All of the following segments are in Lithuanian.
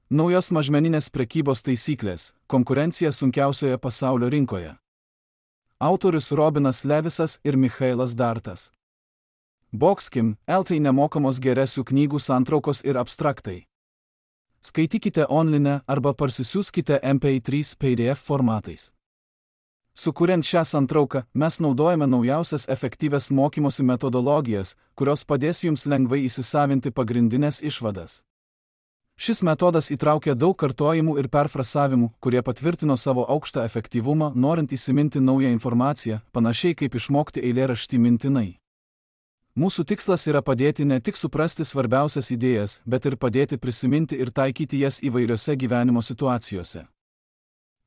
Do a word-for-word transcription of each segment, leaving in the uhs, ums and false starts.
Naujos mažmeninės prekybos taisyklės – konkurencija sunkiausioje pasaulio rinkoje. Autorius Robinas Levisas ir Michailas Dartas. Boxkim, L T nemokamos geresių knygų santraukos ir abstraktai. Skaitykite online arba parsisiųskite M P trys P D F formatais. Sukuriant šią santrauką, mes naudojame naujausias efektyvias mokymosi metodologijas, kurios padės jums lengvai įsisavinti pagrindinės išvadas. Šis metodas įtraukia daug kartojimų ir perfrasavimų, kurie patvirtino savo aukštą efektyvumą, norint įsiminti naują informaciją, panašiai kaip išmokti eilėraštį mintinai. Mūsų tikslas yra padėti ne tik suprasti svarbiausias idėjas, bet ir padėti prisiminti ir taikyti jas įvairiose gyvenimo situacijose.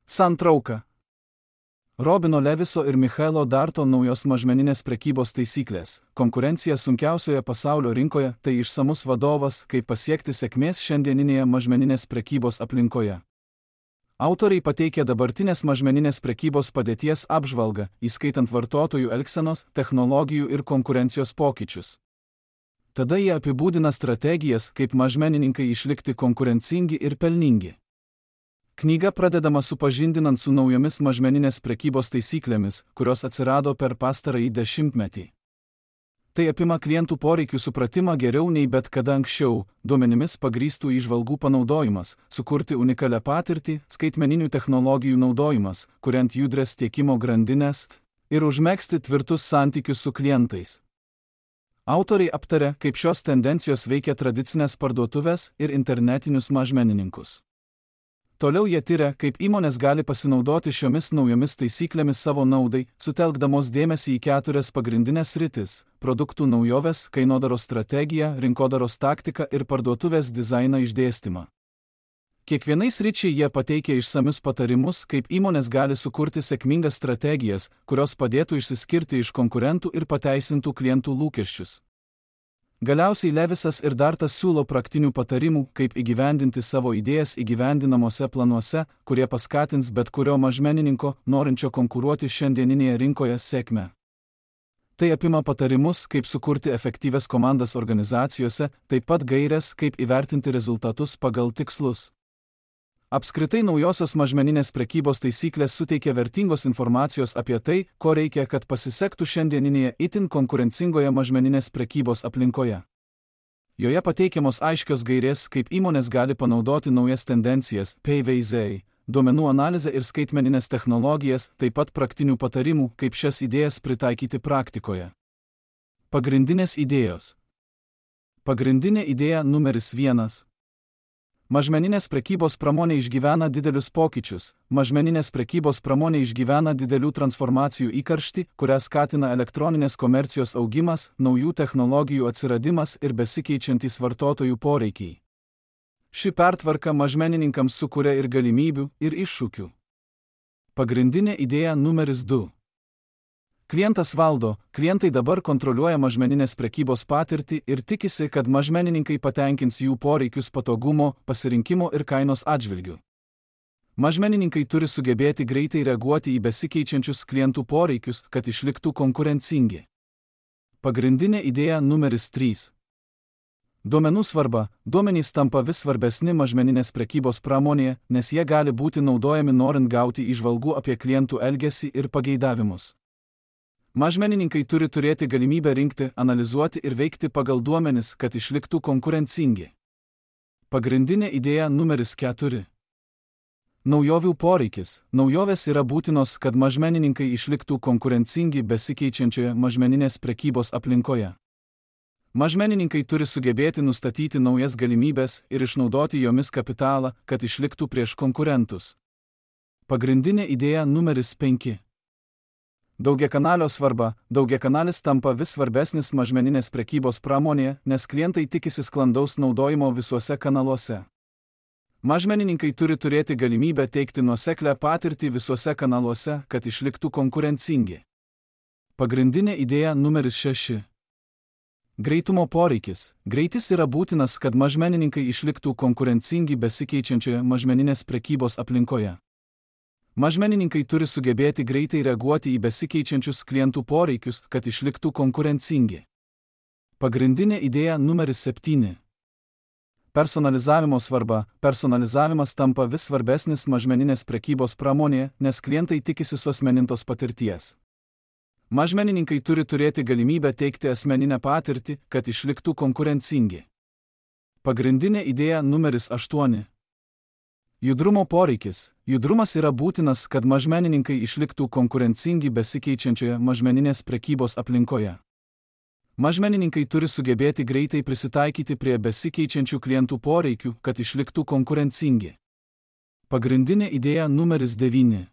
Santrauka. Robino Leviso ir Michailo Darto naujos mažmeninės prekybos taisyklės. Konkurencija sunkiausioje pasaulio rinkoje – tai išsamus vadovas, kaip pasiekti sėkmės šiandieninėje mažmeninės prekybos aplinkoje. Autoriai pateikia dabartinės mažmeninės prekybos padėties apžvalgą, įskaitant vartotojų elgsenos, technologijų ir konkurencijos pokyčius. Tada jie apibūdina strategijas, kaip mažmenininkai išlikti konkurencingi ir pelningi. Knyga pradedama supažindinant su naujomis mažmeninės prekybos taisyklėmis, kurios atsirado per pastarąjį dešimtmetį. Tai apima klientų poreikių supratimą geriau nei bet kada anksčiau, duomenimis pagrįstų įžvalgų panaudojimas, sukurti unikalią patirtį, skaitmeninių technologijų naudojimas, kuriant judrias tiekimo grandines ir užmegzti tvirtus santykius su klientais. Autoriai aptarė, kaip šios tendencijos veikia tradicinės parduotuvės ir internetinius mažmenininkus. Toliau jie tyria, kaip įmonės gali pasinaudoti šiomis naujomis taisyklėmis savo naudai, sutelkdamos dėmesį į keturias pagrindinės sritis – produktų naujoves, kainodaros strategiją, rinkodaros taktiką ir parduotuvės dizainą išdėstymą. Kiekvienai sričiai jie pateikia išsamius patarimus, kaip įmonės gali sukurti sėkmingas strategijas, kurios padėtų išsiskirti iš konkurentų ir pateisintų klientų lūkesčius. Galiausiai Levisas ir Dartas siūlo praktinių patarimų, kaip įgyvendinti savo idėjas įgyvendinamuose planuose, kurie paskatins bet kurio mažmenininko, norinčio konkuruoti šiandieninėje rinkoje, sėkmę. Tai apima patarimus, kaip sukurti efektyvias komandas organizacijose, taip pat gaires, kaip įvertinti rezultatus pagal tikslus. Apskritai naujosios mažmeninės prekybos taisyklės suteikia vertingos informacijos apie tai, ko reikia, kad pasisektų šiandieninėje itin konkurencingoje mažmeninės prekybos aplinkoje. Joje pateikiamos aiškios gairės, kaip įmonės gali panaudoti naujas tendencijas, P V Z, duomenų analizę ir skaitmeninės technologijas, taip pat praktinių patarimų, kaip šias idėjas pritaikyti praktikoje. Pagrindinės idėjos. Pagrindinė idėja numeris vienas. Mažmeninės prekybos pramonė išgyvena didelius pokyčius. Mažmeninės prekybos pramonė išgyvena didelių transformacijų įkarštį, kurią skatina elektroninės komercijos augimas, naujų technologijų atsiradimas ir besikeičiantys vartotojų poreikiai. Ši pertvarka mažmenininkams sukuria ir galimybių, ir iššūkių. Pagrindinė idėja numeris du. Klientas valdo, klientai dabar kontroliuoja mažmeninės prekybos patirtį ir tikisi, kad mažmenininkai patenkins jų poreikius patogumo, pasirinkimo ir kainos atžvilgių. Mažmenininkai turi sugebėti greitai reaguoti į besikeičiančius klientų poreikius, kad išliktų konkurencingi. Pagrindinė idėja numeris trys. Duomenų svarba. Duomenys tampa vis svarbesni mažmeninės prekybos pramonėje, nes jie gali būti naudojami norint gauti įžvalgų apie klientų elgesį ir pageidavimus. Mažmenininkai turi turėti galimybę rinkti, analizuoti ir veikti pagal duomenis, kad išliktų konkurencingi. Pagrindinė idėja numeris keturi. Naujovių poreikis. Naujovės yra būtinos, kad mažmenininkai išliktų konkurencingi besikeičiančioje mažmeninės prekybos aplinkoje. Mažmenininkai turi sugebėti nustatyti naujas galimybės ir išnaudoti jomis kapitalą, kad išliktų prieš konkurentus. Pagrindinė idėja numeris penki. Daugiakanalio svarba. Daugiakanalis tampa vis svarbesnis mažmeninės prekybos pramonėje, nes klientai tikisi sklandaus naudojimo visuose kanaluose. Mažmenininkai turi turėti galimybę teikti nuoseklią patirtį visuose kanaluose, kad išliktų konkurencingi. Pagrindinė idėja numeris šeši. Greitumo poreikis. Greitis yra būtinas, kad mažmenininkai išliktų konkurencingi besikeičiančioje mažmeninės prekybos aplinkoje. Mažmenininkai turi sugebėti greitai reaguoti į besikeičiančius klientų poreikius, kad išliktų konkurencingi. Pagrindinė idėja numeris septyni. Personalizavimo svarba. Personalizavimas tampa vis svarbesnis mažmeninės prekybos pramonėje, nes klientai tikisi suasmenintos patirties. Mažmenininkai turi turėti galimybę teikti asmeninę patirtį, kad išliktų konkurencingi. Pagrindinė idėja numeris aštuoni. Judrumo poreikis. Judrumas yra būtinas, kad mažmenininkai išliktų konkurencingi besikeičiančioje mažmeninės prekybos aplinkoje. Mažmenininkai turi sugebėti greitai prisitaikyti prie besikeičiančių klientų poreikių, kad išliktų konkurencingi. Pagrindinė idėja numeris devyni.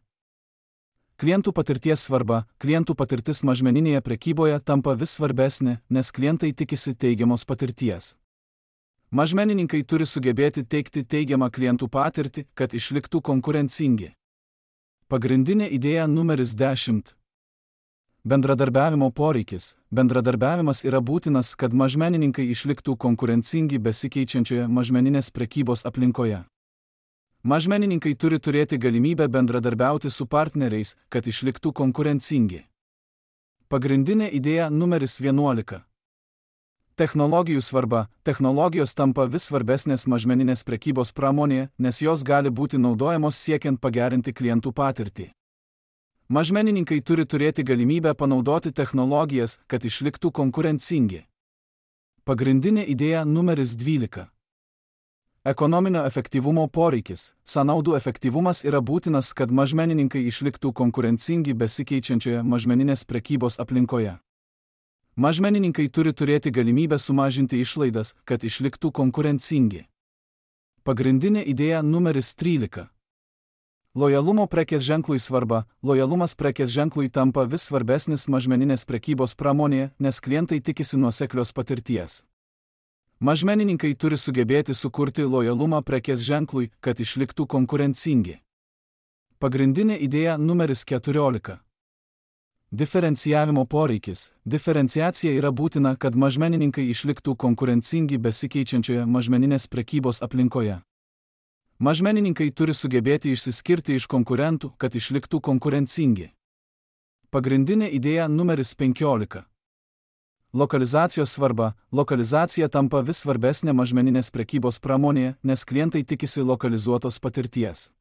Klientų patirties svarba. Klientų patirtis mažmeninėje prekyboje tampa vis svarbesnė, nes klientai tikisi teigiamos patirties. Mažmenininkai turi sugebėti teikti teigiamą klientų patirtį, kad išliktų konkurencingi. Pagrindinė idėja numeris dešimt. Bendradarbiavimo poreikis. Bendradarbiavimas yra būtinas, kad mažmenininkai išliktų konkurencingi besikeičiančioje mažmeninės prekybos aplinkoje. Mažmenininkai turi turėti galimybę bendradarbiauti su partneriais, kad išliktų konkurencingi. Pagrindinė idėja numeris vienuolika. Technologijų svarba. Technologijos tampa vis svarbesnės mažmeninės prekybos pramonėje, nes jos gali būti naudojamos siekiant pagerinti klientų patirtį. Mažmenininkai turi turėti galimybę panaudoti technologijas, kad išliktų konkurencingi. Pagrindinė idėja numeris dvylika. Ekonominio efektyvumo poreikis. Sąnaudų efektyvumas yra būtinas, kad mažmenininkai išliktų konkurencingi besikeičiančioje mažmeninės prekybos aplinkoje. Mažmenininkai turi turėti galimybę sumažinti išlaidas, kad išliktų konkurencingi. Pagrindinė idėja numeris trylika. Lojalumo prekės ženklui svarba. Lojalumas prekės ženklui tampa vis svarbesnis mažmeninės prekybos pramonėje, nes klientai tikisi nuoseklios patirties. Mažmenininkai turi sugebėti sukurti lojalumą prekės ženklui, kad išliktų konkurencingi. Pagrindinė idėja numeris keturiolika. Diferencijavimo poreikis. Diferenciacija yra būtina, kad mažmenininkai išliktų konkurencingi besikeičiančioje mažmeninės prekybos aplinkoje. Mažmenininkai turi sugebėti išsiskirti iš konkurentų, kad išliktų konkurencingi. Pagrindinė idėja numeris penkiolika. Lokalizacijos svarba. Lokalizacija tampa vis svarbesnė mažmeninės prekybos pramonėje, nes klientai tikisi lokalizuotos patirties.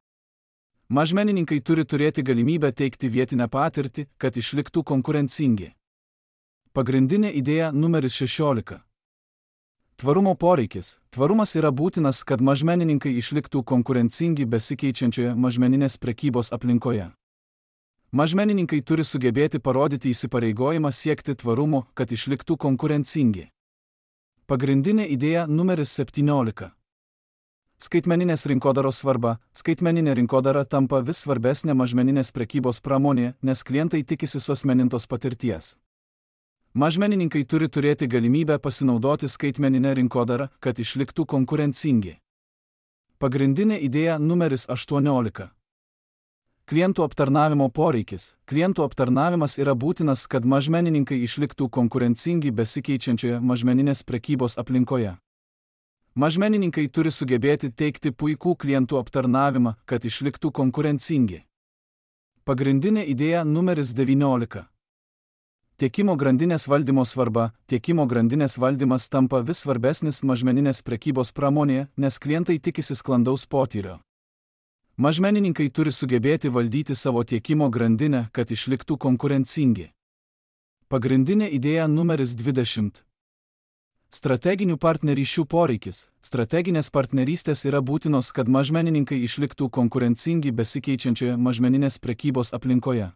Mažmenininkai turi turėti galimybę teikti vietinę patirtį, kad išliktų konkurencingi. Pagrindinė idėja numeris šešiolika. Tvarumo poreikis. Tvarumas yra būtinas, kad mažmenininkai išliktų konkurencingi besikeičiančioje mažmeninės prekybos aplinkoje. Mažmenininkai turi sugebėti parodyti įsipareigojimą siekti tvarumo, kad išliktų konkurencingi. Pagrindinė idėja numeris septyniolika. Skaitmeninės rinkodaros svarba. Skaitmeninė rinkodara tampa vis svarbesnė mažmeninės prekybos pramonėje, nes klientai tikisi suasmenintos patirties. Mažmenininkai turi turėti galimybę pasinaudoti skaitmeninę rinkodarą, kad išliktų konkurencingi. Pagrindinė idėja numeris aštuoniolika. Klientų aptarnavimo poreikis. Klientų aptarnavimas yra būtinas, kad mažmenininkai išliktų konkurencingi besikeičiančioje mažmeninės prekybos aplinkoje. Mažmenininkai turi sugebėti teikti puikų klientų aptarnavimą, kad išliktų konkurencingi. Pagrindinė idėja numeris devyniolika. Tiekimo grandinės valdymo svarba. Tiekimo grandinės valdymas tampa vis svarbesnis mažmeninės prekybos pramonėje, nes klientai tikisi sklandaus potyrio. Mažmenininkai turi sugebėti valdyti savo tiekimo grandinę, kad išliktų konkurencingi. Pagrindinė idėja numeris dvidešimt. Strateginių partnerysčių poreikis. Strateginės partnerystės yra būtinos, kad mažmenininkai išliktų konkurencingi besikeičiančioje mažmeninės prekybos aplinkoje.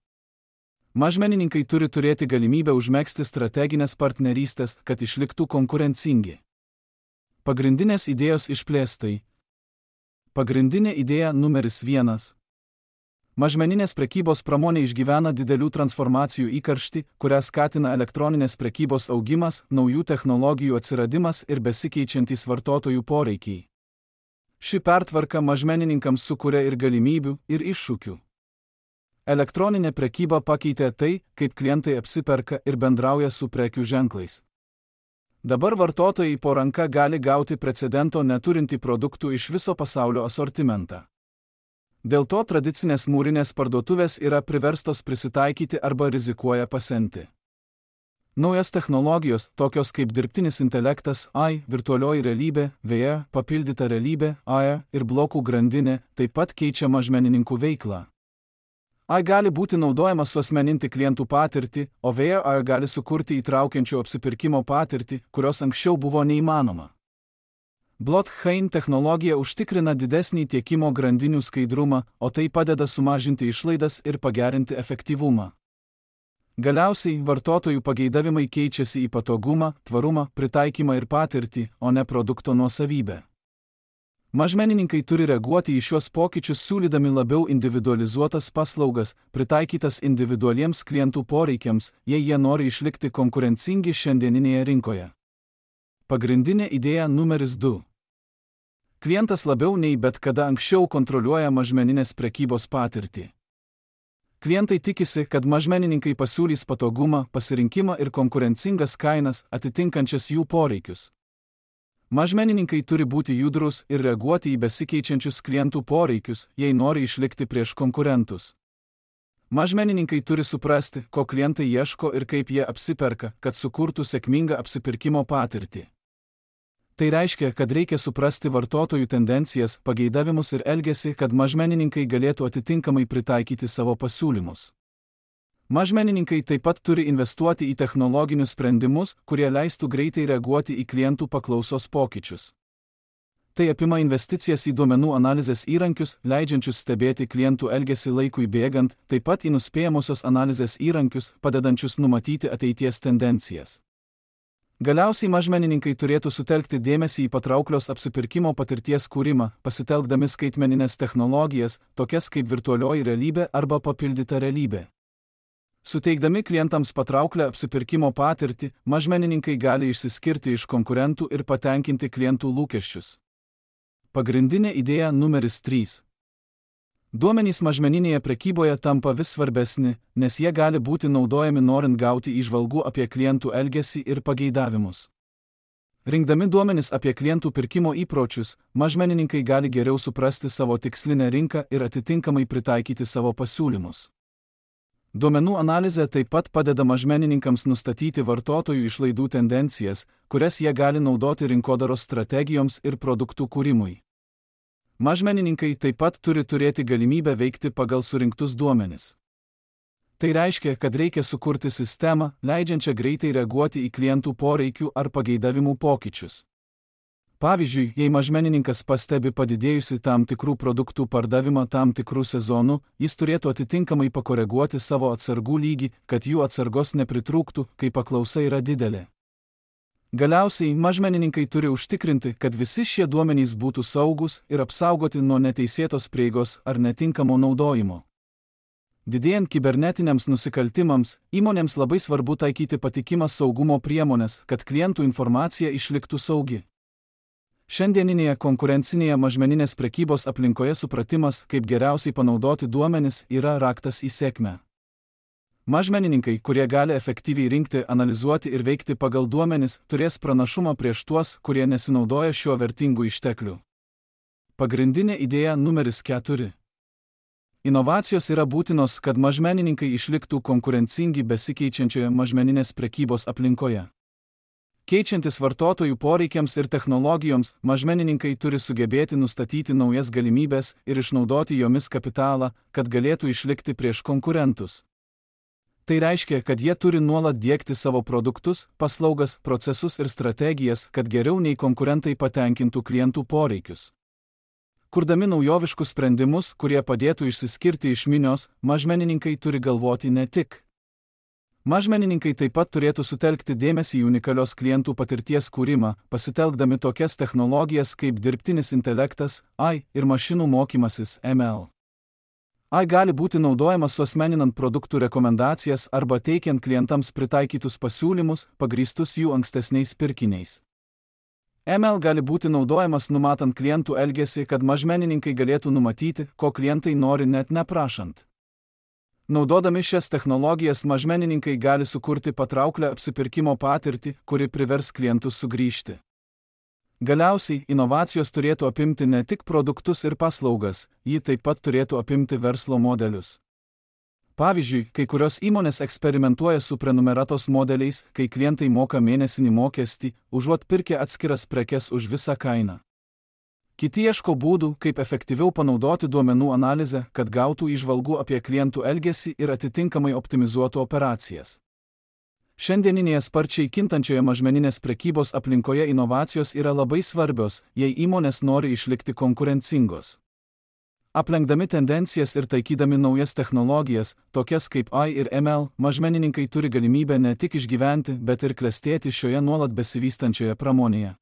Mažmenininkai turi turėti galimybę užmegzti strateginės partnerystės, kad išliktų konkurencingi. Pagrindinės idėjos išplėstai. Pagrindinė idėja numeris vienas. Mažmeninės prekybos pramonė išgyvena didelių transformacijų įkarštį, kurią skatina elektroninės prekybos augimas, naujų technologijų atsiradimas ir besikeičiantys vartotojų poreikiai. Ši pertvarka mažmenininkams sukuria ir galimybių, ir iššūkių. Elektroninė prekyba pakeitė tai, kaip klientai apsiperka ir bendrauja su prekių ženklais. Dabar vartotojai po ranka gali gauti precedento neturintį produktų iš viso pasaulio asortimentą. Dėl to tradicinės mūrinės parduotuvės yra priverstos prisitaikyti arba rizikuoja pasenti. Naujos technologijos, tokios kaip dirbtinis intelektas, A I, virtualioji realybė, V R, papildyta realybė, A R ir blokų grandinė, taip pat keičia mažmenininkų veiklą. A I gali būti naudojamas suasmeninti klientų patirtį, o V R gali sukurti įtraukiančių apsipirkimo patirtį, kurios anksčiau buvo neįmanoma. Blockchain technologija užtikrina didesnį tiekimo grandinių skaidrumą, o tai padeda sumažinti išlaidas ir pagerinti efektyvumą. Galiausiai, vartotojų pageidavimai keičiasi į patogumą, tvarumą, pritaikymą ir patirtį, o ne produkto nuosavybę. Mažmenininkai turi reaguoti į šiuos pokyčius siūlydami labiau individualizuotas paslaugas, pritaikytas individualiems klientų poreikiams, jei jie nori išlikti konkurencingi šiandieninėje rinkoje. Pagrindinė idėja numeris du. Klientas labiau nei bet kada anksčiau kontroliuoja mažmeninės prekybos patirtį. Klientai tikisi, kad mažmenininkai pasiūlys patogumą, pasirinkimą ir konkurencingas kainas, atitinkančias jų poreikius. Mažmenininkai turi būti judrus ir reaguoti į besikeičiančius klientų poreikius, jei nori išlikti prieš konkurentus. Mažmenininkai turi suprasti, ko klientai ieško ir kaip jie apsiperka, kad sukurtų sėkmingą apsipirkimo patirtį. Tai reiškia, kad reikia suprasti vartotojų tendencijas, pageidavimus ir elgesį, kad mažmenininkai galėtų atitinkamai pritaikyti savo pasiūlymus. Mažmenininkai taip pat turi investuoti į technologinius sprendimus, kurie leistų greitai reaguoti į klientų paklausos pokyčius. Tai apima investicijas į duomenų analizės įrankius, leidžiančius stebėti klientų elgesį laikui bėgant, taip pat į nuspėjamosios analizės įrankius, padedančius numatyti ateities tendencijas. Galiausiai mažmenininkai turėtų sutelkti dėmesį į patrauklios apsipirkimo patirties kūrimą, pasitelkdami skaitmenines technologijas, tokias kaip virtualioji realybė arba papildyta realybė. Suteikdami klientams patrauklę apsipirkimo patirtį, mažmenininkai gali išsiskirti iš konkurentų ir patenkinti klientų lūkesčius. Pagrindinė idėja numeris trys. Duomenys mažmeninėje prekyboje tampa vis svarbesni, nes jie gali būti naudojami norint gauti įžvalgų apie klientų elgesį ir pageidavimus. Rinkdami duomenis apie klientų pirkimo įpročius, mažmenininkai gali geriau suprasti savo tikslinę rinką ir atitinkamai pritaikyti savo pasiūlymus. Duomenų analizė taip pat padeda mažmenininkams nustatyti vartotojų išlaidų tendencijas, kurias jie gali naudoti rinkodaros strategijoms ir produktų kūrimui. Mažmenininkai taip pat turi turėti galimybę veikti pagal surinktus duomenis. Tai reiškia, kad reikia sukurti sistemą, leidžiančią greitai reaguoti į klientų poreikių ar pageidavimų pokyčius. Pavyzdžiui, jei mažmenininkas pastebi padidėjusi tam tikrų produktų pardavimą tam tikrų sezonų, jis turėtų atitinkamai pakoreguoti savo atsargų lygį, kad jų atsargos nepritrūktų, kai paklausa yra didelė. Galiausiai, mažmenininkai turi užtikrinti, kad visi šie duomenys būtų saugus ir apsaugoti nuo neteisėtos prieigos ar netinkamo naudojimo. Didėjant kibernetiniams nusikaltimams, įmonėms labai svarbu taikyti patikimas saugumo priemonės, kad klientų informacija išliktų saugi. Šiandieninėje konkurencinėje mažmeninės prekybos aplinkoje supratimas, kaip geriausiai panaudoti duomenis, yra raktas į sėkmę. Mažmenininkai, kurie gali efektyviai rinkti, analizuoti ir veikti pagal duomenis, turės pranašumą prieš tuos, kurie nesinaudoja šiuo vertingu ištekliu. Pagrindinė idėja numeris keturi. Inovacijos yra būtinos, kad mažmenininkai išliktų konkurencingi besikeičiančioje mažmeninės prekybos aplinkoje. Keičiantis vartotojų poreikiams ir technologijoms, mažmenininkai turi sugebėti nustatyti naujas galimybės ir išnaudoti jomis kapitalą, kad galėtų išlikti prieš konkurentus. Tai reiškia, kad jie turi nuolat diegti savo produktus, paslaugas, procesus ir strategijas, kad geriau nei konkurentai patenkintų klientų poreikius. Kurdami naujoviškus sprendimus, kurie padėtų išsiskirti iš minios, mažmenininkai turi galvoti ne tik. Mažmenininkai taip pat turėtų sutelkti dėmesį į unikalios klientų patirties kūrimą, pasitelkdami tokias technologijas kaip dirbtinis intelektas, A I ir mašinų mokymasis M L. A I gali būti naudojamas suasmeninant produktų rekomendacijas arba teikiant klientams pritaikytus pasiūlymus, pagrįstus jų ankstesniais pirkiniais. M L gali būti naudojamas numatant klientų elgesį, kad mažmenininkai galėtų numatyti, ko klientai nori net neprašant. Naudodami šias technologijas mažmenininkai gali sukurti patrauklę apsipirkimo patirtį, kuri privers klientus sugrįžti. Galiausiai, inovacijos turėtų apimti ne tik produktus ir paslaugas, ji taip pat turėtų apimti verslo modelius. Pavyzdžiui, kai kurios įmonės eksperimentuoja su prenumeratos modeliais, kai klientai moka mėnesinį mokestį, užuot pirkę atskiras prekes už visą kainą. Kiti ieško būdų, kaip efektyviau panaudoti duomenų analizę, kad gautų įžvalgų apie klientų elgesį ir atitinkamai optimizuotų operacijas. Šiandieninėje sparčiai kintančioje mažmeninės prekybos aplinkoje inovacijos yra labai svarbios, jei įmonės nori išlikti konkurencingos. Aplenkdami tendencijas ir taikydami naujas technologijas, tokias kaip A I ir M L, mažmenininkai turi galimybę ne tik išgyventi, bet ir klestėti šioje nuolat besivystančioje pramonėje.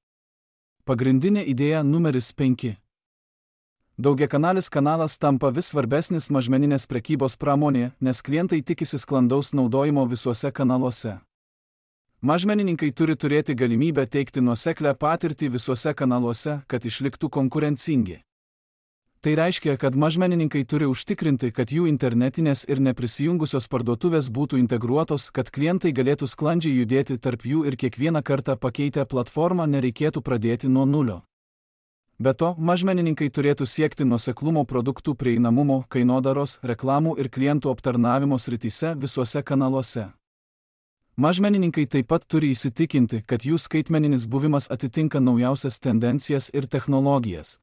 Pagrindinė idėja numeris penki. Daugiakanalis kanalas tampa vis svarbesnis mažmeninės prekybos pramonėje, nes klientai tikisi sklandaus naudojimo visuose kanaluose. Mažmenininkai turi turėti galimybę teikti nuoseklią patirtį visuose kanaluose, kad išliktų konkurencingi. Tai reiškia, kad mažmenininkai turi užtikrinti, kad jų internetinės ir neprisijungusios parduotuvės būtų integruotos, kad klientai galėtų sklandžiai judėti tarp jų ir kiekvieną kartą pakeitę platformą nereikėtų pradėti nuo nulio. Be to, mažmenininkai turėtų siekti nuoseklumo produktų prieinamumo, kainodaros, reklamų ir klientų aptarnavimo srityse visuose kanaluose. Mažmenininkai taip pat turi įsitikinti, kad jų skaitmeninis buvimas atitinka naujausias tendencijas ir technologijas.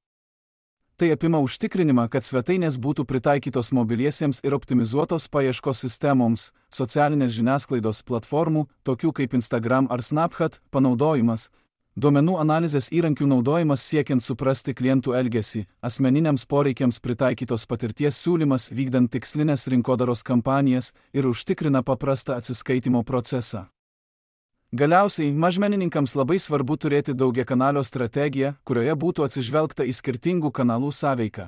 Tai apima užtikrinimą, kad svetainės būtų pritaikytos mobiliesiems ir optimizuotos paieškos sistemoms, socialinės žiniasklaidos platformų, tokių kaip Instagram ar Snapchat, panaudojimas, duomenų analizės įrankių naudojimas siekiant suprasti klientų elgesį, asmeniniams poreikiams pritaikytos patirties siūlymas vykdant tikslinės rinkodaros kampanijas ir užtikrina paprastą atsiskaitimo procesą. Galiausiai, mažmenininkams labai svarbu turėti daugiakanalio strategiją, kurioje būtų atsižvelgta į skirtingų kanalų sąveiką.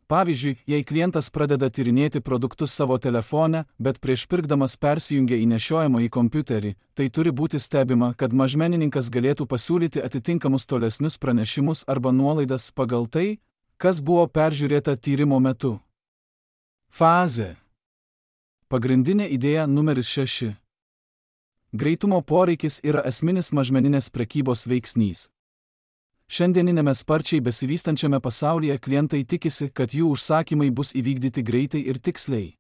Pavyzdžiui, jei klientas pradeda tyrinėti produktus savo telefone, bet prieš pirkdamas persijungia į nešiojamą į kompiuterį, tai turi būti stebima, kad mažmenininkas galėtų pasiūlyti atitinkamus tolesnius pranešimus arba nuolaidas pagal tai, kas buvo peržiūrėta tyrimo metu. Fazė. Pagrindinė idėja numeris šeši. Greitumo poreikis yra esminis mažmeninės prekybos veiksnys. Šiandieninėme sparčiai besivystančiame pasaulyje klientai tikisi, kad jų užsakymai bus įvykdyti greitai ir tiksliai.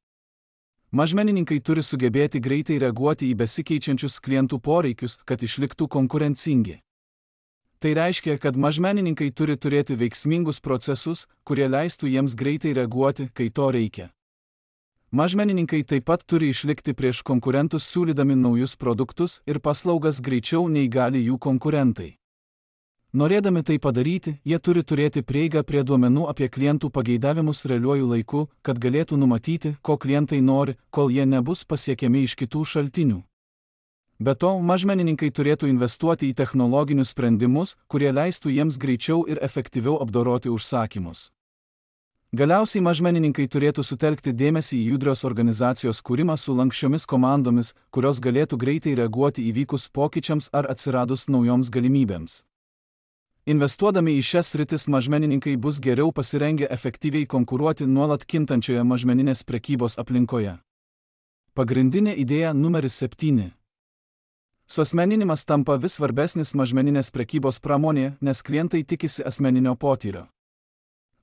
Mažmenininkai turi sugebėti greitai reaguoti į besikeičiančius klientų poreikius, kad išliktų konkurencingi. Tai reiškia, kad mažmenininkai turi turėti veiksmingus procesus, kurie leistų jiems greitai reaguoti, kai to reikia. Mažmenininkai taip pat turi išlikti prieš konkurentus siūlydami naujus produktus ir paslaugas greičiau nei gali jų konkurentai. Norėdami tai padaryti, jie turi turėti prieigą prie duomenų apie klientų pageidavimus realiuoju laiku, kad galėtų numatyti, ko klientai nori, kol jie nebus pasiekiami iš kitų šaltinių. Be to, mažmenininkai turėtų investuoti į technologinius sprendimus, kurie leistų jiems greičiau ir efektyviau apdoroti užsakymus. Galiausiai mažmenininkai turėtų sutelkti dėmesį į judrios organizacijos kūrimą su lanksčiomis komandomis, kurios galėtų greitai reaguoti įvykus pokyčiams ar atsiradus naujoms galimybėms. Investuodami į šias sritis mažmenininkai bus geriau pasirengę efektyviai konkuruoti nuolat kintančioje mažmeninės prekybos aplinkoje. Pagrindinė idėja numeris septyni. Suasmeninimas tampa vis svarbesnis mažmeninės prekybos pramonėje, nes klientai tikisi asmeninio potyrio.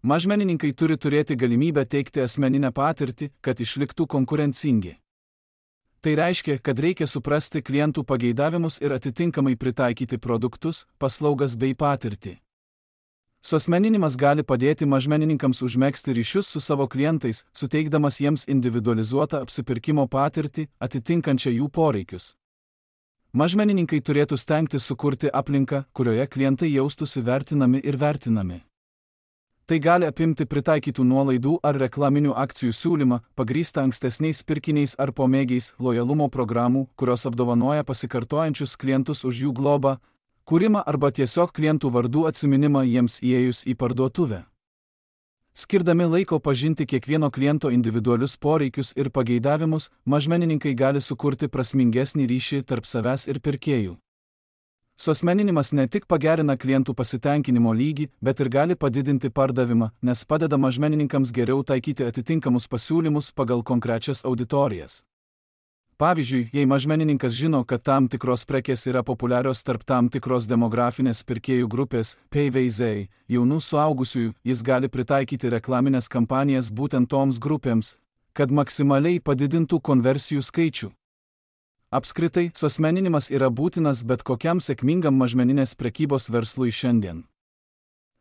Mažmenininkai turi turėti galimybę teikti asmeninę patirtį, kad išliktų konkurencingi. Tai reiškia, kad reikia suprasti klientų pageidavimus ir atitinkamai pritaikyti produktus, paslaugas bei patirtį. Suasmeninimas gali padėti mažmenininkams užmegzti ryšius su savo klientais, suteikdamas jiems individualizuotą apsipirkimo patirtį, atitinkančią jų poreikius. Mažmenininkai turėtų stengtis sukurti aplinką, kurioje klientai jaustųsi vertinami ir vertinami. Tai gali apimti pritaikytų nuolaidų ar reklaminių akcijų siūlymą, pagrįstą ankstesniais pirkiniais ar pomėgiais, lojalumo programų, kurios apdovanoja pasikartojančius klientus už jų globą, kūrimą arba tiesiog klientų vardų atsiminimą jiems įėjus į parduotuvę. Skirdami laiko pažinti kiekvieno kliento individualius poreikius ir pageidavimus, mažmenininkai gali sukurti prasmingesnį ryšį tarp savęs ir pirkėjų. Suasmeninimas ne tik pagerina klientų pasitenkinimo lygį, bet ir gali padidinti pardavimą, nes padeda mažmenininkams geriau taikyti atitinkamus pasiūlymus pagal konkrečias auditorijas. Pavyzdžiui, jei mažmenininkas žino, kad tam tikros prekės yra populiarios tarp tam tikros demografinės pirkėjų grupės, P V Z, jaunų suaugusiųjų, jis gali pritaikyti reklaminės kampanijas būtent toms grupėms, kad maksimaliai padidintų konversijų skaičių. Apskritai, suasmeninimas yra būtinas bet kokiam sėkmingam mažmeninės prekybos verslui šiandien.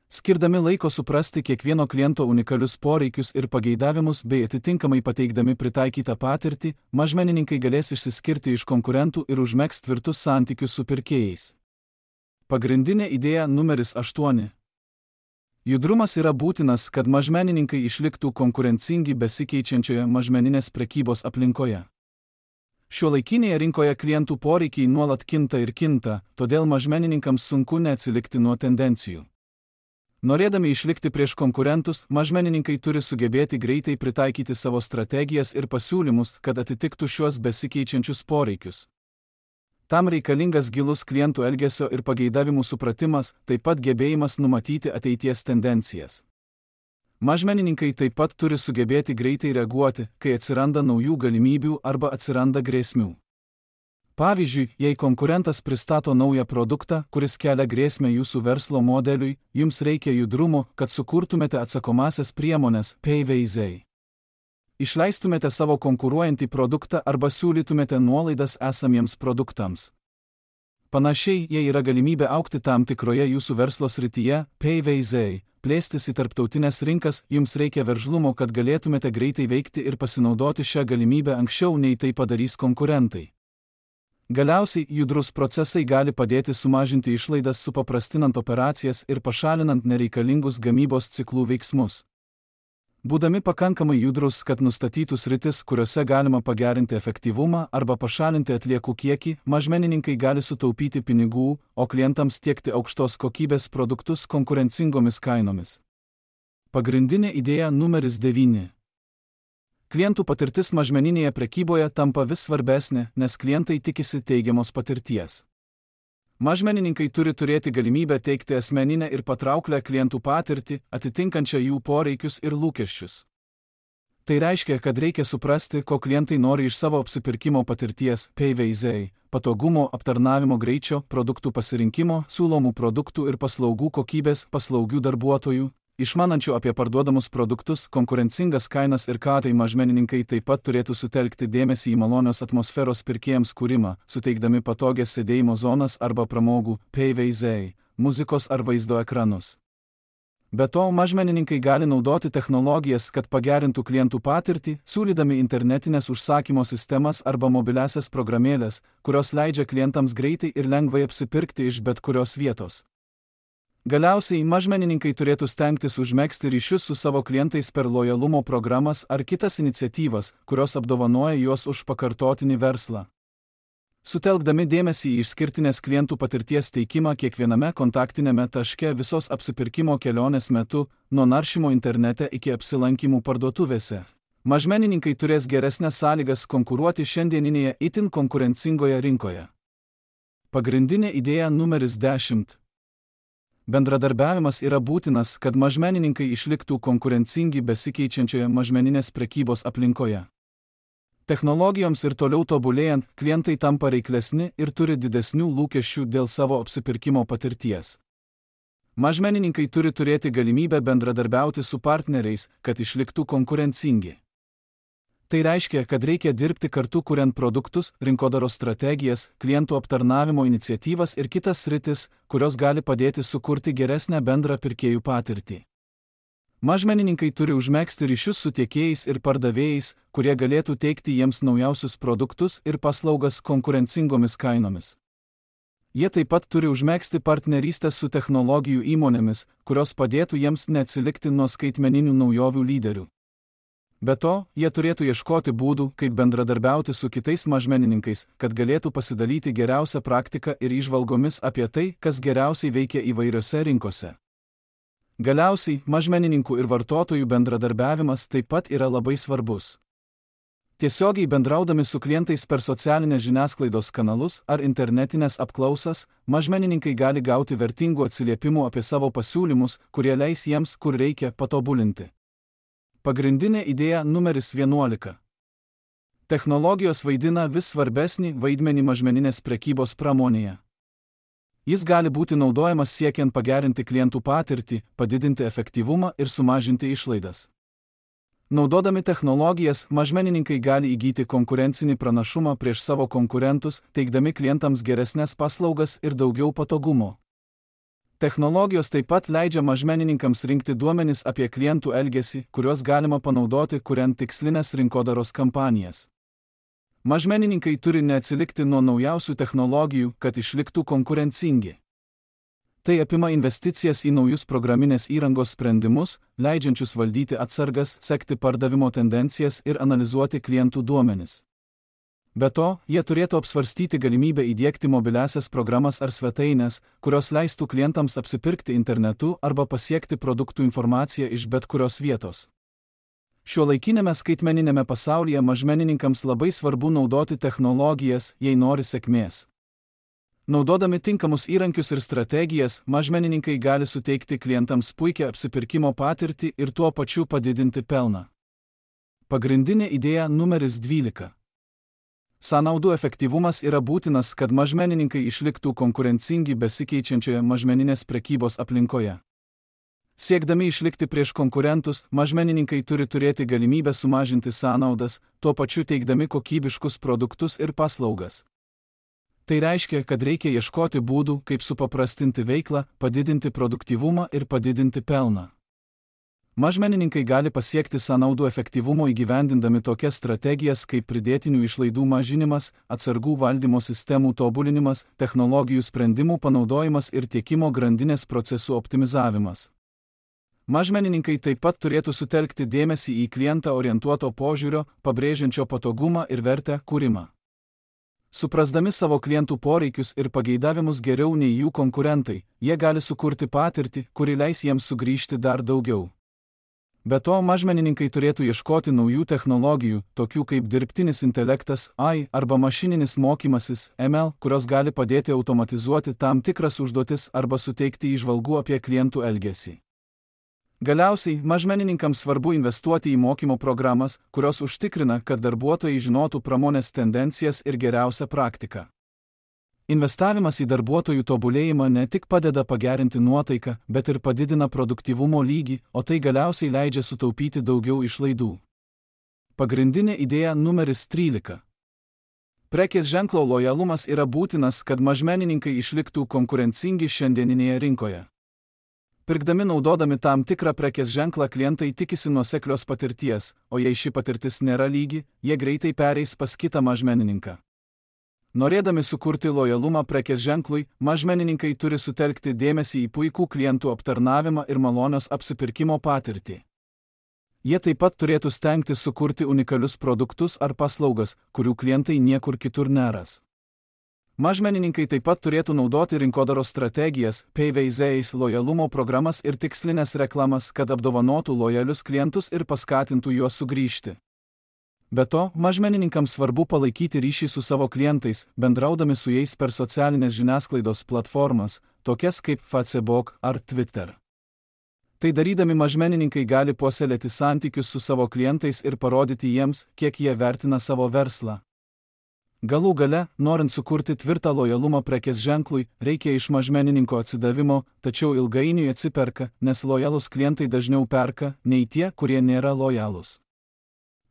Skirdami laiko suprasti kiekvieno kliento unikalius poreikius ir pageidavimus bei atitinkamai pateikdami pritaikytą patirtį, mažmenininkai galės išsiskirti iš konkurentų ir užmegzti tvirtus santykius su pirkėjais. Pagrindinė idėja numeris aštuoni. Judrumas yra būtinas, kad mažmenininkai išliktų konkurencingi besikeičiančioje mažmeninės prekybos aplinkoje. Šiuolaikinėje rinkoje klientų poreikiai nuolat kinta ir kinta, todėl mažmenininkams sunku neatsilikti nuo tendencijų. Norėdami išlikti prieš konkurentus, mažmenininkai turi sugebėti greitai pritaikyti savo strategijas ir pasiūlymus, kad atitiktų šiuos besikeičiančius poreikius. Tam reikalingas gilus klientų elgesio ir pageidavimų supratimas, taip pat gebėjimas numatyti ateities tendencijas. Mažmenininkai taip pat turi sugebėti greitai reaguoti, kai atsiranda naujų galimybių arba atsiranda grėsmių. Pavyzdžiui, jei konkurentas pristato naują produktą, kuris kelia grėsmę jūsų verslo modeliui, jums reikia judrumo, kad sukurtumėte atsakomasias priemones P V Z. Išleistumėte savo konkuruojantį produktą arba siūlytumėte nuolaidas esamiems produktams. Panašiai, jei yra galimybė augti tam tikroje jūsų verslo srityje P V Z, plėstis į tarptautinės rinkas, jums reikia veržlumo, kad galėtumėte greitai veikti ir pasinaudoti šią galimybę anksčiau nei tai padarys konkurentai. Galiausiai, judrus procesai gali padėti sumažinti išlaidas, supaprastinant operacijas ir pašalinant nereikalingus gamybos ciklų veiksmus. Būdami pakankamai judrus, kad nustatytų sritis, kuriuose galima pagerinti efektyvumą arba pašalinti atliekų kiekį, mažmenininkai gali sutaupyti pinigų, o klientams tiekti aukštos kokybės produktus konkurencingomis kainomis. Pagrindinė idėja numeris devyni. Klientų patirtis mažmeninėje prekyboje tampa vis svarbesnė, nes klientai tikisi teigiamos patirties. Mažmenininkai turi turėti galimybę teikti asmeninę ir patrauklią klientų patirtį, atitinkančią jų poreikius ir lūkesčius. Tai reiškia, kad reikia suprasti, ko klientai nori iš savo apsipirkimo patirties P V Z, patogumo, aptarnavimo greičio, produktų pasirinkimo, siūlomų produktų ir paslaugų kokybės, paslaugių darbuotojų, išmanančių apie parduodamus produktus, konkurencingas kainas ir ką tai mažmenininkai taip pat turėtų sutelkti dėmesį į malonios atmosferos pirkėjams kūrimą, suteikdami patogias sėdėjimo zonas arba pramogų P V Z, muzikos ar vaizdo ekranus. Be to, mažmenininkai gali naudoti technologijas, kad pagerintų klientų patirtį, siūlydami internetinės užsakymo sistemas arba mobiliasias programėlės, kurios leidžia klientams greitai ir lengvai apsipirkti iš bet kurios vietos. Galiausiai, mažmenininkai turėtų stengtis užmegzti ryšius su savo klientais per lojalumo programas ar kitas iniciatyvas, kurios apdovanoja juos už pakartotinį verslą. Sutelkdami dėmesį į išskirtinės klientų patirties teikimą kiekviename kontaktinėme taške visos apsipirkimo kelionės metu, nuo naršymo internete iki apsilankymų parduotuvėse, mažmenininkai turės geresnės sąlygas konkuruoti šiandieninėje itin konkurencingoje rinkoje. Pagrindinė idėja numeris dešimt. Bendradarbiavimas yra būtinas, kad mažmenininkai išliktų konkurencingi besikeičiančioje mažmeninės prekybos aplinkoje. Technologijoms ir toliau tobulėjant, klientai tampa reiklesni ir turi didesnių lūkesčių dėl savo apsipirkimo patirties. Mažmenininkai turi turėti galimybę bendradarbiauti su partneriais, kad išliktų konkurencingi. Tai reiškia, kad reikia dirbti kartu kuriant produktus, rinkodaros strategijas, klientų aptarnavimo iniciatyvas ir kitas sritis, kurios gali padėti sukurti geresnę bendrą pirkėjų patirtį. Mažmenininkai turi užmegzti ryšius su tiekėjais ir pardavėjais, kurie galėtų teikti jiems naujausius produktus ir paslaugas konkurencingomis kainomis. Jie taip pat turi užmegzti partnerystės su technologijų įmonėmis, kurios padėtų jiems neatsilikti nuo skaitmeninių naujovių lyderių. Be to, jie turėtų ieškoti būdų, kaip bendradarbiauti su kitais mažmenininkais, kad galėtų pasidalyti geriausią praktiką ir įžvalgomis apie tai, kas geriausiai veikia įvairiose rinkose. Galiausiai, mažmenininkų ir vartotojų bendradarbiavimas taip pat yra labai svarbus. Tiesiogiai bendraudami su klientais per socialinės žiniasklaidos kanalus ar internetinės apklausas, mažmenininkai gali gauti vertingų atsiliepimų apie savo pasiūlymus, kurie leis jiems, kur reikia, patobulinti. Pagrindinė idėja numeris vienuolika. Technologijos vaidina vis svarbesnį vaidmenį mažmeninės prekybos pramonėje. Jis gali būti naudojamas siekiant pagerinti klientų patirtį, padidinti efektyvumą ir sumažinti išlaidas. Naudodami technologijas, mažmenininkai gali įgyti konkurencinį pranašumą prieš savo konkurentus, teikdami klientams geresnes paslaugas ir daugiau patogumo. Technologijos taip pat leidžia mažmenininkams rinkti duomenis apie klientų elgesį, kuriuos galima panaudoti, kuriant tikslinės rinkodaros kampanijas. Mažmenininkai turi neatsilikti nuo naujausių technologijų, kad išliktų konkurencingi. Tai apima investicijas į naujus programinės įrangos sprendimus, leidžiančius valdyti atsargas, sekti pardavimo tendencijas ir analizuoti klientų duomenis. Be to, jie turėtų apsvarstyti galimybę įdiegti mobiliasias programas ar svetaines, kurios leistų klientams apsipirkti internetu arba pasiekti produktų informaciją iš bet kurios vietos. Šiuolaikinėme skaitmeninėme pasaulyje mažmenininkams labai svarbu naudoti technologijas, jei nori sėkmės. Naudodami tinkamus įrankius ir strategijas, mažmenininkai gali suteikti klientams puikią apsipirkimo patirtį ir tuo pačiu padidinti pelną. Pagrindinė idėja numeris dvylika. Sąnaudų efektyvumas yra būtinas, kad mažmenininkai išliktų konkurencingi besikeičiančioje mažmeninės prekybos aplinkoje. Siekdami išlikti prieš konkurentus, mažmenininkai turi turėti galimybę sumažinti sąnaudas, tuo pačiu teikdami kokybiškus produktus ir paslaugas. Tai reiškia, kad reikia ieškoti būdų, kaip supaprastinti veiklą, padidinti produktyvumą ir padidinti pelną. Mažmenininkai gali pasiekti sąnaudų efektyvumo įgyvendindami tokias strategijas kaip pridėtinių išlaidų mažinimas, atsargų valdymo sistemų tobulinimas, technologijų sprendimų panaudojimas ir tiekimo grandinės procesų optimizavimas. Mažmenininkai taip pat turėtų sutelkti dėmesį į klientą orientuoto požiūrio, pabrėžiančio patogumą ir vertę kūrimą. Suprasdami savo klientų poreikius ir pageidavimus geriau nei jų konkurentai, jie gali sukurti patirtį, kuri leis jiems sugrįžti dar daugiau. Be to, mažmenininkai turėtų ieškoti naujų technologijų, tokių kaip dirbtinis intelektas, A I arba mašininis mokymasis, M L, kurios gali padėti automatizuoti tam tikras užduotis arba suteikti įžvalgų apie klientų elgesį. Galiausiai, mažmenininkams svarbu investuoti į mokymo programas, kurios užtikrina, kad darbuotojai žinotų pramonės tendencijas ir geriausią praktiką. Investavimas į darbuotojų tobulėjimą ne tik padeda pagerinti nuotaiką, bet ir padidina produktyvumo lygį, o tai galiausiai leidžia sutaupyti daugiau išlaidų. Pagrindinė idėja numeris trylika. Prekės ženklo lojalumas yra būtinas, kad mažmenininkai išliktų konkurencingi šiandieninėje rinkoje. Pirkdami naudodami tam tikrą prekės ženklą klientai tikisi nuoseklios patirties, o jei ši patirtis nėra lygi, jie greitai pereis pas kitą mažmenininką. Norėdami sukurti lojalumą prekės ženklui, mažmenininkai turi sutelkti dėmesį į puikų klientų aptarnavimą ir malonios apsipirkimo patirtį. Jie taip pat turėtų stengtis sukurti unikalius produktus ar paslaugas, kurių klientai niekur kitur neras. Mažmenininkai taip pat turėtų naudoti rinkodaros strategijas, P V Z, lojalumo programas ir tikslinės reklamas, kad apdovanotų lojalius klientus ir paskatintų juos sugrįžti. Be to, mažmenininkams svarbu palaikyti ryšį su savo klientais, bendraudami su jais per socialinės žiniasklaidos platformas, tokias kaip Facebook ar Twitter. Tai darydami mažmenininkai gali puoselėti santykius su savo klientais ir parodyti jiems, kiek jie vertina savo verslą. Galų gale, norint sukurti tvirtą lojalumą prekės ženklui, reikia iš mažmenininko atsidavimo, tačiau ilgainiui atsiperka, nes lojalūs klientai dažniau perka, nei tie, kurie nėra lojalūs.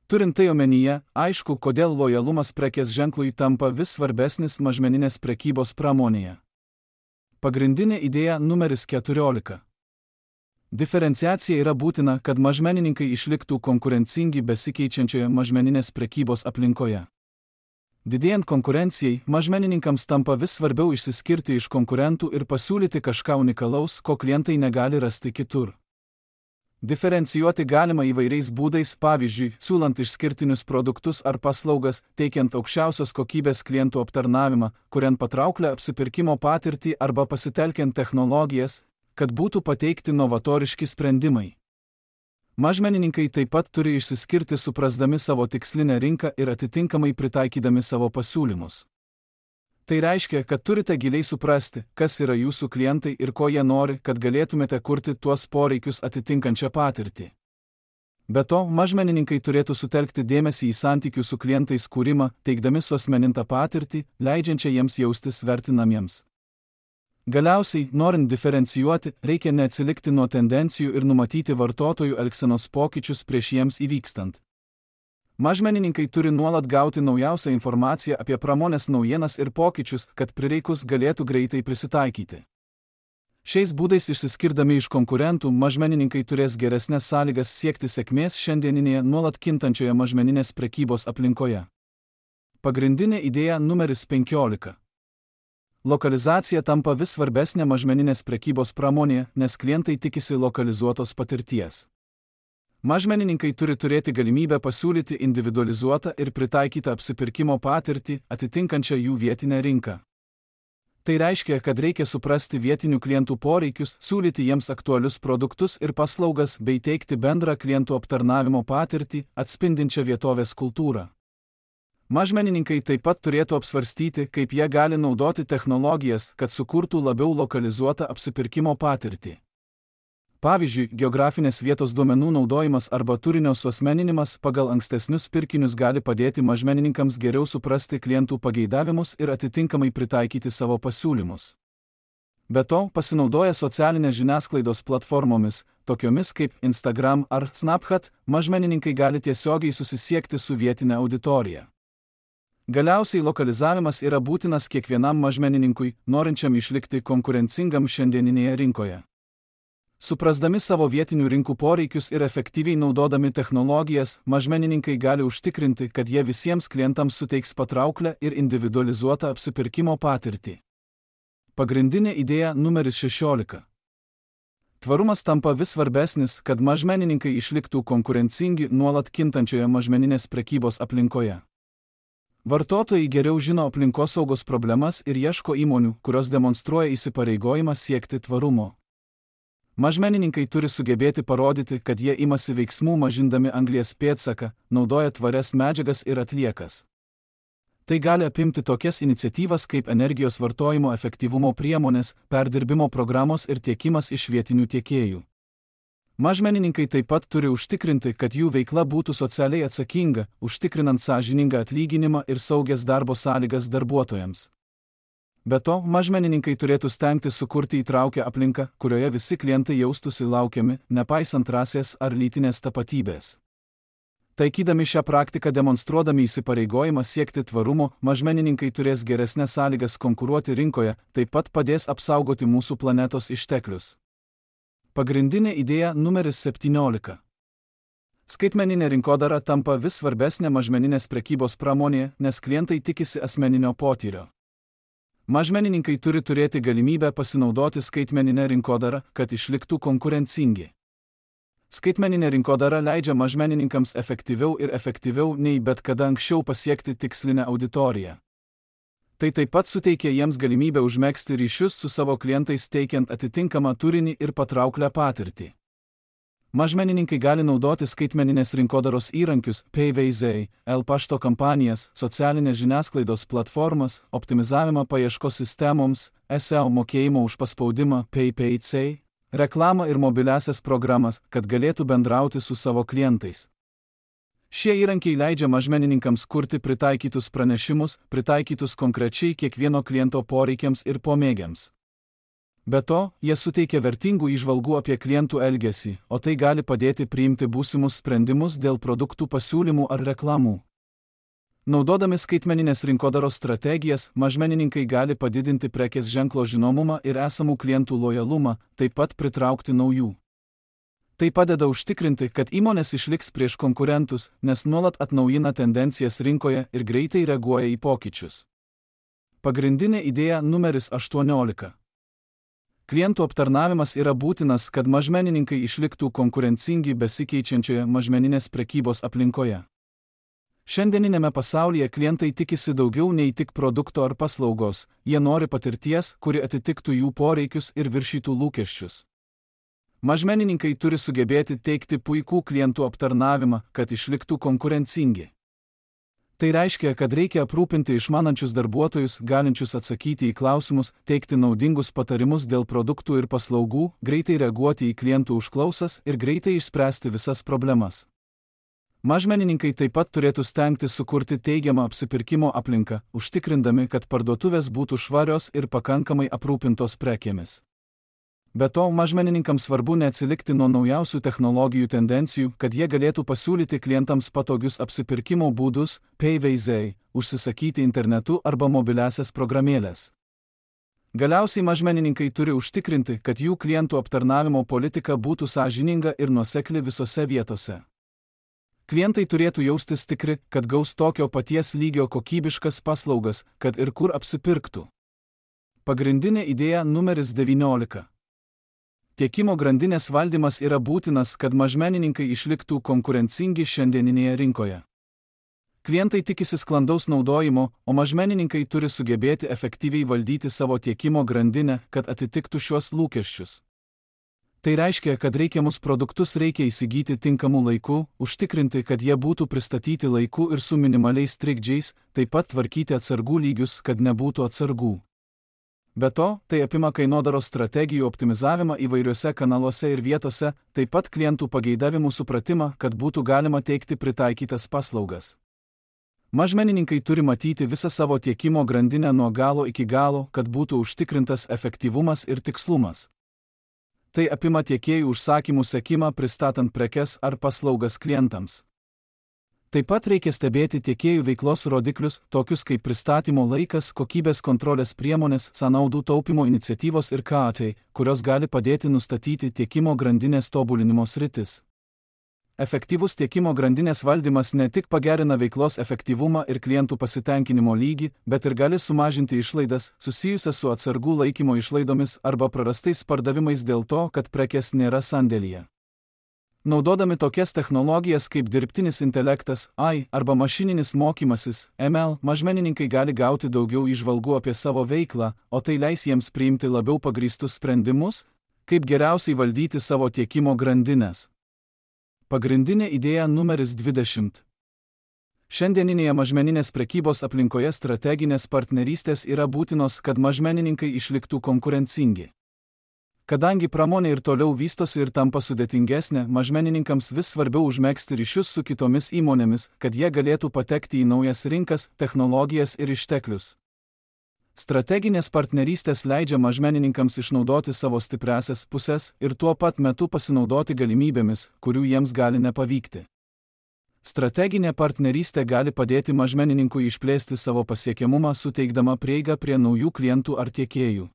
Turint tai omenyje, aišku, kodėl lojalumas prekės ženklui tampa vis svarbesnis mažmeninės prekybos pramonėje. Pagrindinė idėja numeris keturiolika. Diferenciacija yra būtina, kad mažmenininkai išliktų konkurencingi besikeičiančioje mažmeninės prekybos aplinkoje. Didėjant konkurencijai, mažmenininkams tampa vis svarbiau išsiskirti iš konkurentų ir pasiūlyti kažką unikalaus, ko klientai negali rasti kitur. Diferencijuoti galima įvairiais būdais, pavyzdžiui, siūlant išskirtinius produktus ar paslaugas, teikiant aukščiausios kokybės klientų aptarnavimą, kuriant patrauklę apsipirkimo patirtį arba pasitelkiant technologijas, kad būtų pateikti novatoriški sprendimai. Mažmenininkai taip pat turi išsiskirti suprasdami savo tikslinę rinką ir atitinkamai pritaikydami savo pasiūlymus. Tai reiškia, kad turite giliai suprasti, kas yra jūsų klientai ir ko jie nori, kad galėtumėte kurti tuos poreikius atitinkančią patirtį. Be to, mažmenininkai turėtų sutelkti dėmesį į santykių su klientais kūrimą, teikdami suasmenintą patirtį, leidžiančią jiems jaustis vertinamiems. Galiausiai, norint diferencijuoti, reikia neatsilikti nuo tendencijų ir numatyti vartotojų elgsenos pokyčius prieš jiems įvykstant. Mažmenininkai turi nuolat gauti naujausią informaciją apie pramonės naujienas ir pokyčius, kad prireikus galėtų greitai prisitaikyti. Šiais būdais išsiskirdami iš konkurentų, mažmenininkai turės geresnės sąlygas siekti sėkmės šiandieninėje nuolat kintančioje mažmeninės prekybos aplinkoje. Pagrindinė idėja numeris penkiolika. Lokalizacija tampa vis svarbesnė mažmeninės prekybos pramonėje, nes klientai tikisi lokalizuotos patirties. Mažmenininkai turi turėti galimybę pasiūlyti individualizuotą ir pritaikytą apsipirkimo patirtį, atitinkančią jų vietinę rinką. Tai reiškia, kad reikia suprasti vietinių klientų poreikius, siūlyti jiems aktualius produktus ir paslaugas bei teikti bendrą klientų aptarnavimo patirtį, atspindinčią vietovės kultūrą. Mažmenininkai taip pat turėtų apsvarstyti, kaip jie gali naudoti technologijas, kad sukurtų labiau lokalizuotą apsipirkimo patirtį. Pavyzdžiui, geografinės vietos duomenų naudojimas arba turinio suasmeninimas pagal ankstesnius pirkinius gali padėti mažmenininkams geriau suprasti klientų pageidavimus ir atitinkamai pritaikyti savo pasiūlymus. Be to, pasinaudoję socialinės žiniasklaidos platformomis, tokiomis kaip Instagram ar Snapchat, mažmenininkai gali tiesiogiai susisiekti su vietinė auditorija. Galiausiai lokalizavimas yra būtinas kiekvienam mažmenininkui, norinčiam išlikti konkurencingam šiandieninėje rinkoje. Suprasdami savo vietinių rinkų poreikius ir efektyviai naudodami technologijas, mažmenininkai gali užtikrinti, kad jie visiems klientams suteiks patrauklę ir individualizuotą apsipirkimo patirtį. Pagrindinė idėja numeris šešiolika. Tvarumas tampa vis svarbesnis, kad mažmenininkai išliktų konkurencingi nuolat kintančioje mažmeninės prekybos aplinkoje. Vartotojai geriau žino aplinkosaugos problemas ir ieško įmonių, kurios demonstruoja įsipareigojimą siekti tvarumo. Mažmenininkai turi sugebėti parodyti, kad jie imasi veiksmų mažindami anglies pėdsaką, naudoja tvarias medžiagas ir atliekas. Tai gali apimti tokias iniciatyvas kaip energijos vartojimo efektyvumo priemonės, perdirbimo programos ir tiekimas iš vietinių tiekėjų. Mažmenininkai taip pat turi užtikrinti, kad jų veikla būtų socialiai atsakinga, užtikrinant sąžiningą atlyginimą ir saugias darbo sąlygas darbuotojams. Be to, mažmenininkai turėtų stengtis sukurti įtraukę aplinką, kurioje visi klientai jaustųsi laukiami, nepaisant rasės ar lytinės tapatybės. Taikydami šią praktiką demonstruodami įsipareigojimą siekti tvarumo, mažmenininkai turės geresnės sąlygas konkuruoti rinkoje, taip pat padės apsaugoti mūsų planetos išteklius. Pagrindinė idėja numeris septyniolika. Skaitmeninė rinkodara tampa vis svarbesnė mažmeninės prekybos pramonėje, nes klientai tikisi asmeninio potyrio. Mažmenininkai turi turėti galimybę pasinaudoti skaitmeninę rinkodarą, kad išliktų konkurencingi. Skaitmeninė rinkodara leidžia mažmenininkams efektyviau ir efektyviau nei bet kada anksčiau pasiekti tikslinę auditoriją. Tai taip pat suteikia jiems galimybę užmegzti ryšius su savo klientais teikiant atitinkamą turinį ir patrauklią patirtį. Mažmenininkai gali naudoti skaitmeninės rinkodaros įrankius, P V Z, L-pašto kampanijas, socialinės žiniasklaidos platformas, optimizavimą paieškos sistemoms, S E O mokėjimo už paspaudimą, P P C, reklamą ir mobiliasias programas, kad galėtų bendrauti su savo klientais. Šie įrankiai leidžia mažmenininkams kurti pritaikytus pranešimus, pritaikytus konkrečiai kiekvieno kliento poreikiams ir pomėgiams. Be to, jie suteikia vertingų įžvalgų apie klientų elgesį, o tai gali padėti priimti būsimus sprendimus dėl produktų pasiūlymų ar reklamų. Naudodami skaitmeninės rinkodaros strategijas, mažmenininkai gali padidinti prekės ženklo žinomumą ir esamų klientų lojalumą, taip pat pritraukti naujų. Tai padeda užtikrinti, kad įmonės išliks prieš konkurentus, nes nuolat atnaujina tendencijas rinkoje ir greitai reaguoja į pokyčius. Pagrindinė idėja numeris aštuoniolika. Klientų aptarnavimas yra būtinas, kad mažmenininkai išliktų konkurencingi besikeičiančioje mažmeninės prekybos aplinkoje. Šiandieninėme pasaulyje klientai tikisi daugiau nei tik produkto ar paslaugos, jie nori patirties, kuri atitiktų jų poreikius ir viršytų lūkesčius. Mažmenininkai turi sugebėti teikti puikų klientų aptarnavimą, kad išliktų konkurencingi. Tai reiškia, kad reikia aprūpinti išmanančius darbuotojus, galinčius atsakyti į klausimus, teikti naudingus patarimus dėl produktų ir paslaugų, greitai reaguoti į klientų užklausas ir greitai išspręsti visas problemas. Mažmenininkai taip pat turėtų stengtis sukurti teigiamą apsipirkimo aplinką, užtikrindami, kad parduotuvės būtų švarios ir pakankamai aprūpintos prekėmis. Be to, mažmenininkams svarbu neatsilikti nuo naujausių technologijų tendencijų, kad jie galėtų pasiūlyti klientams patogius apsipirkimo būdus, payveizai, užsisakyti internetu arba mobiliasias programėlės. Galiausiai mažmenininkai turi užtikrinti, kad jų klientų aptarnavimo politika būtų sąžininga ir nuosekli visose vietose. Klientai turėtų jaustis tikri, kad gaus tokio paties lygio kokybiškas paslaugas, kad ir kur apsipirktų. Pagrindinė idėja numeris devyniolika. Tiekimo grandinės valdymas yra būtinas, kad mažmenininkai išliktų konkurencingi šiandieninėje rinkoje. Klientai tikisi sklandaus naudojimo, o mažmenininkai turi sugebėti efektyviai valdyti savo tiekimo grandinę, kad atitiktų šiuos lūkesčius. Tai reiškia, kad reikiamus produktus reikia įsigyti tinkamu laiku, užtikrinti, kad jie būtų pristatyti laiku ir su minimaliais trikdžiais, taip pat tvarkyti atsargų lygius, kad nebūtų atsargų. Be to, tai apima kainodaros strategijų optimizavimą įvairiuose kanaluose ir vietose, taip pat klientų pageidavimų supratimą, kad būtų galima teikti pritaikytas paslaugas. Mažmenininkai turi matyti visą savo tiekimo grandinę nuo galo iki galo, kad būtų užtikrintas efektyvumas ir tikslumas. Tai apima tiekėjų užsakymų sekimą pristatant prekes ar paslaugas klientams. Taip pat reikia stebėti tiekėjų veiklos rodiklius, tokius kaip pristatymo laikas, kokybės kontrolės priemonės, sąnaudų taupimo iniciatyvos ir K A T, kurios gali padėti nustatyti tiekimo grandinės tobulinimo sritis. Efektyvus tiekimo grandinės valdymas ne tik pagerina veiklos efektyvumą ir klientų pasitenkinimo lygį, bet ir gali sumažinti išlaidas, susijusias su atsargų laikymo išlaidomis arba prarastais pardavimais dėl to, kad prekės nėra sandėlyje. Naudodami tokias technologijas kaip dirbtinis intelektas, A I arba mašininis mokymasis, M L, mažmenininkai gali gauti daugiau įžvalgų apie savo veiklą, o tai leis jiems priimti labiau pagrįstus sprendimus, kaip geriausiai valdyti savo tiekimo grandines. Pagrindinė idėja numeris dvidešimt. Šiandieninėje mažmeninės prekybos aplinkoje strateginės partnerystės yra būtinos, kad mažmenininkai išliktų konkurencingi. Kadangi pramonė ir toliau vystosi ir tampa sudėtingesnė, mažmenininkams vis svarbiau užmegzti ryšius su kitomis įmonėmis, kad jie galėtų patekti į naujas rinkas, technologijas ir išteklius. Strateginės partnerystės leidžia mažmenininkams išnaudoti savo stipriąsias pusės ir tuo pat metu pasinaudoti galimybėmis, kurių jiems gali nepavykti. Strateginė partnerystė gali padėti mažmenininkui išplėsti savo pasiekiamumą, suteikdama prieigą prie naujų klientų ar tiekėjų.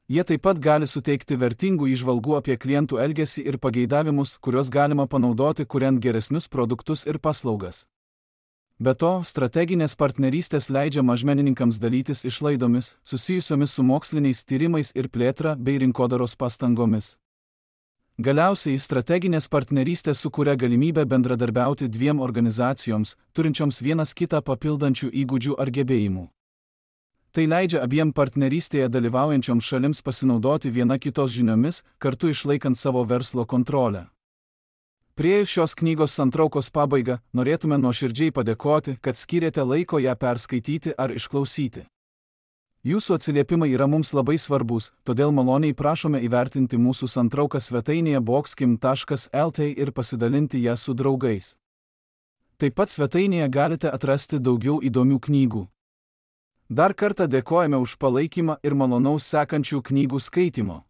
Jie taip pat gali suteikti vertingų įžvalgų apie klientų elgesį ir pageidavimus, kuriuos galima panaudoti kuriant geresnius produktus ir paslaugas. Be to, strateginės partnerystės leidžia mažmenininkams dalytis išlaidomis, susijusiomis su moksliniais tyrimais ir plėtra bei rinkodaros pastangomis. Galiausiai, strateginės partnerystės sukuria galimybę bendradarbiauti dviem organizacijoms, turinčioms vienas kitą papildančių įgūdžių ar gebėjimų. Tai leidžia abiem partnerystėje dalyvaujančioms šalims pasinaudoti viena kitos žiniomis, kartu išlaikant savo verslo kontrolę. Priėjus šios knygos santraukos pabaigą, norėtume nuoširdžiai padėkoti, kad skyrėte laiko ją perskaityti ar išklausyti. Jūsų atsiliepimai yra mums labai svarbus, todėl maloniai prašome įvertinti mūsų santrauką svetainėje boxkim taškas L T ir pasidalinti ją su draugais. Taip pat svetainėje galite atrasti daugiau įdomių knygų. Dar kartą dėkojame už palaikymą ir malonaus sekančių knygų skaitimo.